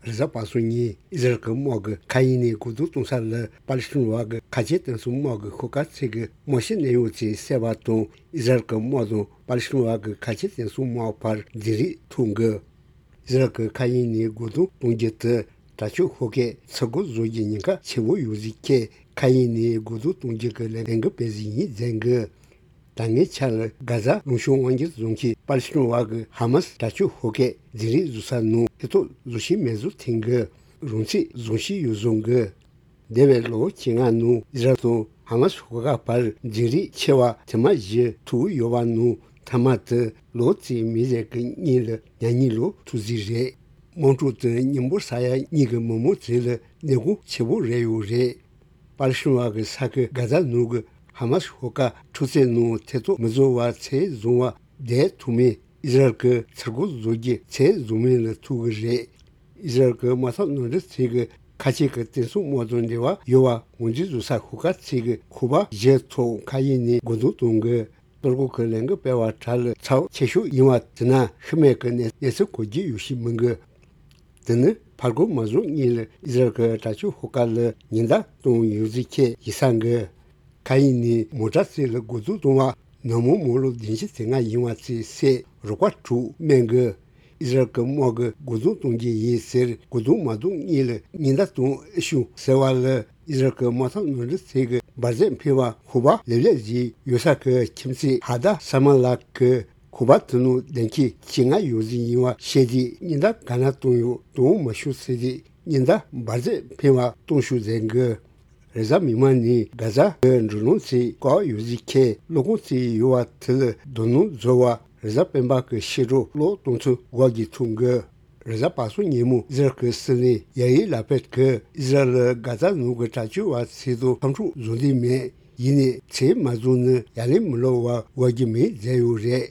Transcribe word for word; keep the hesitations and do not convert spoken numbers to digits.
རེས་གཟའ་པ་སངས་ཉིན་ཨི་ཟ་རལ་གྱི་དམག་གིས་མཁའ་དབྱིངས་ནས་རྒོལ་རྡུང་གཏོང་ས་ལ་པ་ལི་སི་ཐན་བ་གི་ཁ་ཆེ་བསྟན་སྲུང་དམག་གི་ཤོག་ཁག་ཚོ་གིས་དམག་ཞི་གནས་ཡོད་ཚུལ་གསལ་བ་དང་། ཨི་ཟ་རལ་གྱི་དམག་དང་པ་ལི་སི་ཐན་བ་གི་ཁ་ཆེ་བསྟན་སྲུང་དམག་བར་འཛིང་རེས་ཐུག་འགོ། ཨི་ཟ་རལ་གྱི་མཁའ་དབྱིངས་ནས་རྒོལ་རྡུང་གཏོང་རྒྱུ་དེ་དྲག་སྤྱོད་ཤོག་ཁག་ཚུར་རྒོལ་བཟོ་རྒྱུའི་ཉེན་ཁ་ཆེ་བོ་ཡོད་ཚུལ་ཁྱེད་མཁའ་དབྱིངས་ནས་རྒོལ་རྡུང་གཏོང་རྒྱུ་གི་ལས་འགུལ་སྤེལ་བཞིན་ཡིན་ཟེར་འགོ། ད་སྔའི་ཆར་ལ་གྷ་ཛ་ལུང་གཤོང་དབང་སྒྱུར་བཟུང་མཁན་པ་ལི་སི་ཐན་བ་གི་ཧ་མ་སི་དྲག་སྤྱོད་ཤོག་ཁག་འཛིང་རེས་བཟོ་ས་ནང་ཐེ་གཏོགས་བཟོ་ཤེས་མེད་བཟོ་ཐེངས་གི་རང་ཚིག་བཟུང་ཤེས་ཡོད་བཟོ་གི། འདས་པའི་ལོ་བཅོ་ལྔ་ནང་ཨི་ཟ་རལ་དང་ཧ་མ་སི་ཤོག་ཁག་བར་འཛིང་རེས་ཆེ་བ་ཐེངས་མ་བཞི་ཐུག་ཡོད་པ་ནང་ཐ་མ་དེ་ལོ་གཅིག་མི་ཟེར་གི་གཉིས་ལ་ཉ་གཉིས་ལོ་ཐུག་ཟིག་རེད། དམག་འཁྲུག་དེ་མཉམ་པོ་ས་ཡ་གཉིས་ཀྱི་མི་མང་ཚོ་ལ་གནོད་སྐྱོན་ཆེ་བོ་རེད་ཡོད་རེད། པ་ལི་སི་ཐན་བ་གི་ས་ཁུལ་གྷ་ཛ་ནང་གི་ཧ་མ་སི་ཤོག་ཁག་འཕྲུལ་ཚོགས་ནང་ཐེ་གཏོགས་མི་བཟོ་བར་ཚོད་བཟུང་བ་བསྡད་ཐུབ་མིན་ཨི་ཟ་རལ་གྱིས་ཚུར་རྒོལ་བཟོ་རྒྱུ་ཚོད་བཟུང་མིན་ལ་ཐུག་གི་རེད། ཨི་ཟ་རལ་གྱི་དམག་འཐབ་ནང་འདྲེན་ཚོགས་ཀྱི་ཁ་ཆེ་གི་བསྟན་སྲུང་དམག་དང་འབྲེལ་བ་ཡོད་པ་ངོས་འཛིན་བཟོ་ས་ཤོག་ཁག་ཚོ་གིས་ཁོག་པ་བཞི་ཐོག་མཁའ་དབྱིངས་ནས་རྒོལ་རྡུང་གཏོང་གི། གཏོར་རྒོལ་གྱི་ལས་འགུལ་སྤེལ་བ་དག་ལ་ཚབས་ཆེ་ཤོས་ཡིན་པ་དེ་ན་ཤི་རྨས་ཀྱི་གནས་གནས་ཚུལ་གོ་རྒྱུ་ཡོད་ཤེས་མི་འགི། དེ་ནི་ཕར་རྒོལ་མ་བཟོ་སྔོན་ལ་ཨི་ཟ་རལ་གྱི་དྲག་སྤྱོད་ཤོག་ཁག་ལ་ཉེན་བརྡ་གཏོང་ཡོད་ཚུལ་ཁྱེད་ཡིད་ས་འགི། མཁའ་དབྱིངས་ནས་མོ་ཊ་ཚོ་ལ་རྒོལ་རྡུང་གཏོང་བ་ནུབ་མོ་མོ་ལོ་བདུན་ཅུ་དོན་ལྔ་ཡིན་པ་ཚོས་གསལ་རོགས་པ་དྲུག་སྨན་གི། ཨི་ཟ་རལ་གྱི་དམག་གིས་རྒོལ་རྡུང་གཏོང་རྒྱུ་ཡིན་ཟེར་རྒོལ་རྡུང་མ་གཏོང་སྔོན་ལ་ཉེན་བརྡ་གཏོང་ཨེ་ཤོག་ཟེར་བ་ལ་ཨི་ཟ་རལ་གྱི་དམག་འཐབ་ནང་འདྲེན་ཚོགས་ཀྱི་འབར་རྫས་འཕེན་པ་ཤོག་སྦག་ལེབ་ལེབ་ཞིག་ཡོད་ས་གི་ཁྱིམ་མཚེས་ཧ་དཱ་ས་མ་ལ་གིས་ཤོག་སྦག་དེ་ནང་ལྡེམ་ཁྱེར་བཅོ་ལྔ་ཡོད་ཚུལ་ཡིན་པ་བཤད་དུས་ཉེན་བརྡ་ག་ན་གཏོང་ཡོད་གཏོང་མ་ཤོག་ཟེར་དུས་ཉེན་བརྡ་འབར་རྫས་འཕེན་པ་གཏོང་ཤོག་ཟེར་གི། རེས་གཟའ་མིག་དམར་ཉིན་གྷ་ཛ་གི་འགྲུལ་ལམ་ཚོ་བཀག་ཡོད་ཚུལ་ཁྱེད་གློག་ཁང་ཚོ་ཡོད་པ་དེ་ལ་རྡོ་སྣུམ་བཟོ་བ་རེས་གཟའ་སྤེན་པ་གི་ཕྱི་དྲོ་གློག་གཏོང་ཚུལ་འགོག་རྒྱུ་ཐུག་གི། རེས་གཟའ་པ་སངས་ཉིན་མོ་ཨི་ཟ་རལ་གྱི་སྲིད་བློན་ཡ་ཡིར་ལ་པིད་གིས་ཨི་ཟ་རལ་གྷ་ཛ་ནང་གི་དྲག་སྤྱོད་པ་ཚོ་དང་འཐབ་འཁྲུག་བཟོ་འདོད་མེད། ཡིན་ནའི་ཚོད་མ་བཟུང་ན་ཡ་ལན་མི་སློག་པར་འགོག་རྒྱུ་མེད་ཟེར་ཡོད་རེད།